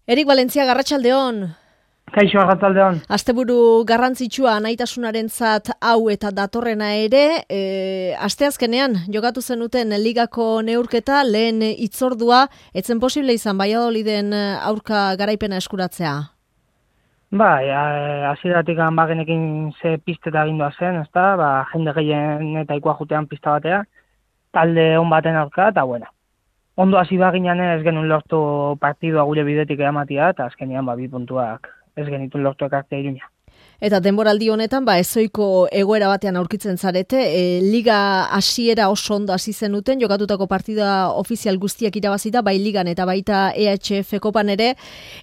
Erik Valentzia, Arratsaldeon. Kaixo, Arratsaldeon. Asteburu garrantzitsua naitasunarentzat hau eta datorrena ere, asteazkenean jokatu zenuten ligako neurketa, lehen hitzordua, etzen posible izan Valladoliden aurka garaipena eskuratzea. Bai, hasieratik bagenekin ze pisteta agindua zen, ezta? Jende gehien eta ikua jutean pista batea, talde on baten aurka, eta bueno. Ondo hasi baginan ez genuen lortu partidua gure bidetik eramatia, eta azkenean 2 puntuak ez genituen lortu ekartzea Iruña. Eta denboraldi honetan, ezoiko egoera batean aurkitzen zarete, liga hasiera oso ondo hasi zenuten, jokatutako partida ofizial guztiak irabazita, bai ligan eta baita EHF kopan ere,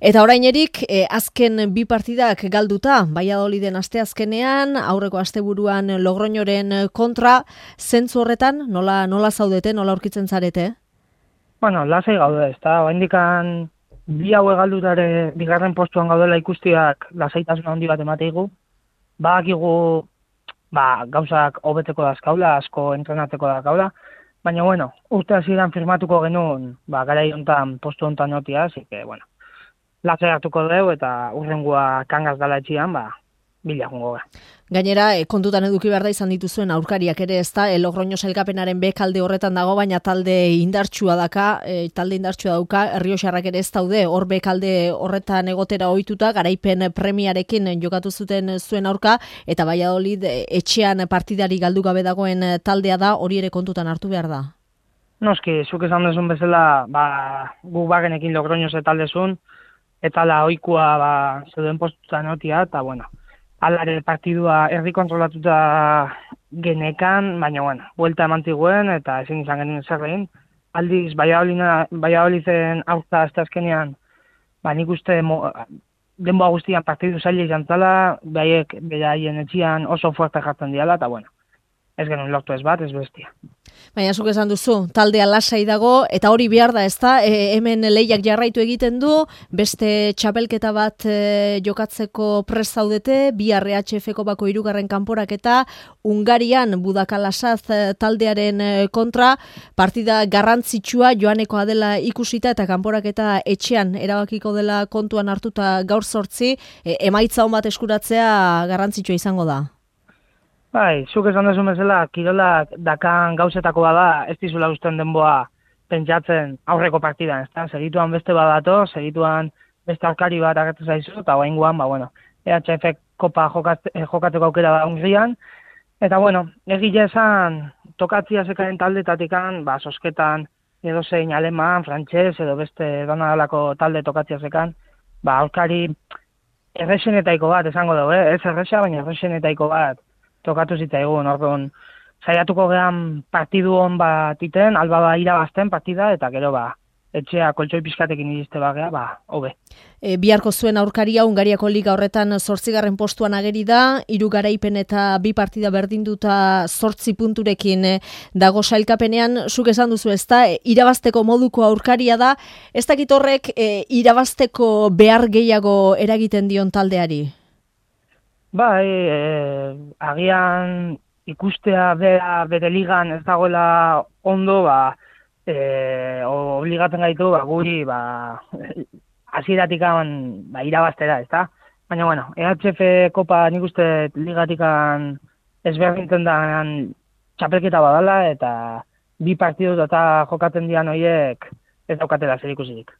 eta orainerik azken 2 partidak galduta, Valladoliden asteazkenean, aurreko asteburuan Logroñoren kontra, zentzu horretan, nola zaudete, nola aurkitzen zarete? Bueno, lasai gaude, ezta? Oraindikan 2 hauek galdutare bigarren postuan gaudela ikustiak lasaitasuna handi bat emateigu. Badakigu gauzak hobetzeko dazkaula, asko entrenatzeko dazkaula, baina bueno, urte hasieran firmatuko genuen, garai hontan postu hontan notia, así que bueno, lasai hartuko dugu eta hurrengoa kangaz dala etxian, bila jungo gara. Gainera, kontutan eduki behar da izan dituzuen aurkariak ere, ezta, Logroño sailkapenaren bekalde horretan dago, baina talde indartsua dauka, Errioxarrak ere ez daude, hor bekalde horretan egotera ohituta, garaipen premiarekin jokatu zuten zuen aurka, eta Valladolid etxean partidari galdu gabe dagoen taldea da, hori ere kontutan hartu behar da. Noski, zuk esan dezun bezala, gu bagenekin Logroño ze taldezun, eta ohikoa zeuden postutan notia, eta bueno, alare partidua herri kontrolatuta genekan, baina bueno, buelta eman ziguen eta ezin izan genuen zer egin. Aldiz, Valladoliden aurka asteazkenean, nik uste denboa guztian partidu zaila izan zala, beraien etxian oso fuerte jartzen diala, eta bueno, ez genuen lortu ez bat, ez bestia. Baina zuk esan duzu, taldea lasai dago, eta hori behar da, ezta? Hemen lehiak jarraitu egiten du, beste txapelketa bat jokatzeko prest zaudete, bihar EHF bako 3. kanporaketa, Hungarian Budakalasaz taldearen kontra, partida garrantzitsua joanekoa dela ikusita, eta kanporaketa etxean erabakiko dela kontuan hartuta gaur 8, emaitza on bat eskuratzea garrantzitsua izango da. Bai, zuk esan dezun bezala, kirolak dakan gauzetako bada, ez dizula usten denboa pentsatzen aurreko partidan, ezta? Segituan beste badato, segituan beste aurkari bat agertu zaizu, eta oraingoan, EHF kopa jokatzeko aukera da Hungrian, eta bueno, egia esan, tokatzia zekaren taldetatikan, sosketan edo zein aleman, frantses edo beste donadalako talde tokatzia zekan, aurkari erresenetaiko bat esango dugu, ez erresa, baina erresenetaiko bat tokatu zitzaigun, orduan saiatuko gehan partidu hon bat iten, alba irabazten partida, eta gero etxea koltsoi pizkatekin iriste hobe. Biharko zuen aurkaria Hungariako liga horretan 8. postuan ageri da, 3 garaipen eta 2 partida berdinduta 8 punturekin dago sailkapenean, zuk esan duzu ezta, irabazteko moduko aurkaria da, ez dakit horrek irabazteko behar gehiago eragiten dion taldeari? Bai, agian ikustea bere ligan ez dagoela ondo, obligatzen gaitu, guri, hasieratik irabaztera, ezta? Baina, bueno, EHF kopa nik uste ligatikan ezberdintzen da txapelketa badala, eta 2 partidu eta jokatzen dian horiek ez daukatela zer ikusirik.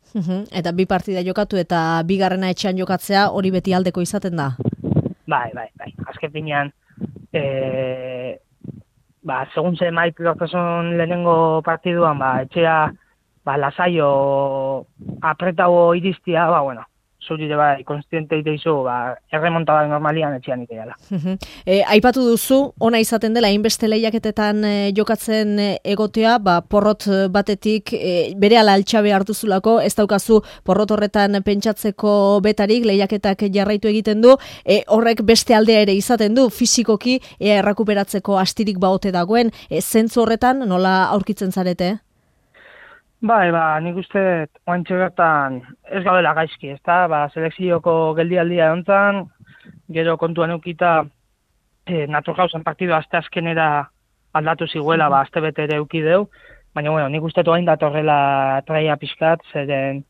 Eta 2 partida jokatu eta 2. etxean jokatzea hori beti aldeko izaten da? Bai. Azken finean, segun ze maik lortasun lehenengo partiduan, etxea, lasaio apretago iristia, zurire konstiente iteizu, erremontada normalian etxean iteala. Aipatu duzu, ona izaten dela, hainbeste lehiaketetan jokatzen egotea, porrot batetik berehala altxabe hartuzulako, ez daukazu porrot horretan pentsatzeko betarik, lehiaketak jarraitu egiten du, horrek beste aldea ere izaten du, fisikoki errakuperatzeko astirik baote dagoen, zentzu horretan nola aurkitzen zarete? Bai, nik uste oantxe bertan ez gaudela gaizki, ezta? Selekzioko geldialdia ontzan, gero kontuan eukita Naturgauzen partidu asteazkenera aldatu ziguela, aste bete ere eukideu, baina nik uste hain datorrela traia pixkat, zeren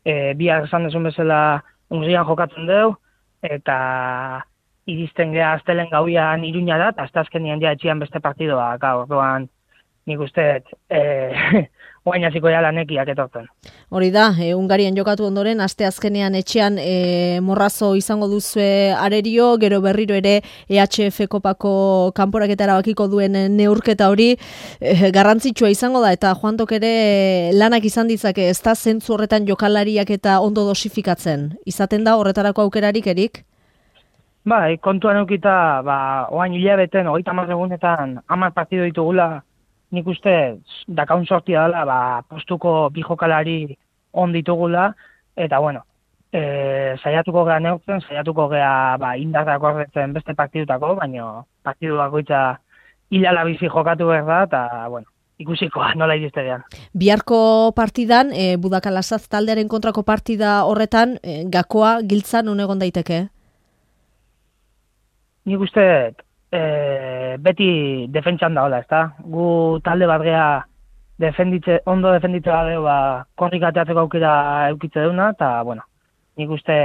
bihar esan dezun bezala Hungrian jokatzen dugu, eta iristen geha astelen gauian Iruñara, eta aztazkenian ja etxian beste partidoa, orduan nik uste, oain hasiko ja lanekiak etortzen. Hori da, Hungarian jokatu ondoren, aste azkenean etxean morrazo izango duzue arerio, gero berriro ere EHF kopako kanporaketa erabakiko duen neurketa hori garrantzitsua izango da, eta Juantok ere lanak izan ditzake, ez da zentzu horretan jokalariak eta ondo dosifikatzen. Izaten da horretarako aukerarik, Erik? Bai, kontuan eukita, oain hilabeten, 30 egunetan 10 partido ditugula, nik uste dakaun sortia dela, postuko bi jokalari on ditugula, eta bueno, saiatuko gea neurtzen, saiatuko gea indarrak horretzen beste partidutako, baina partidu bakoitza hilala bizi jokatu behar da, eta bueno, ikusikoa nola iristegean. Biharko partidan, Budakalasaz taldearen kontrako partida horretan, gakoa giltzan non egon daiteke? Nik uste beti defentsan da hola, ezta? Gu talde bat gea ondo defenditze badeu, korrik ateatzeko aukera eukitze deuna, eta bueno, nik uste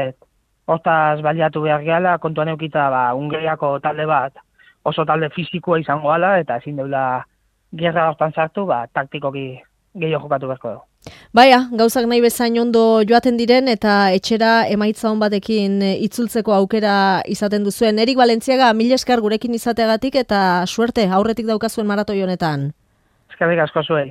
hortaz baliatu behar gehala, kontuan eukita Hungariako talde bat oso talde fizikoa izango gala, eta ezin deula gerra hortan sartu, taktikoki gehiago jokatu beharko dugu. Baia, gauzak nahi bezain ondo joaten diren eta etxera emaitza on batekin itzultzeko aukera izaten duzuen. Erik Valentziaga, mil esker gurekin izateagatik eta suerte aurretik daukazuen maratoi honetan. Eskerrik asko zuei.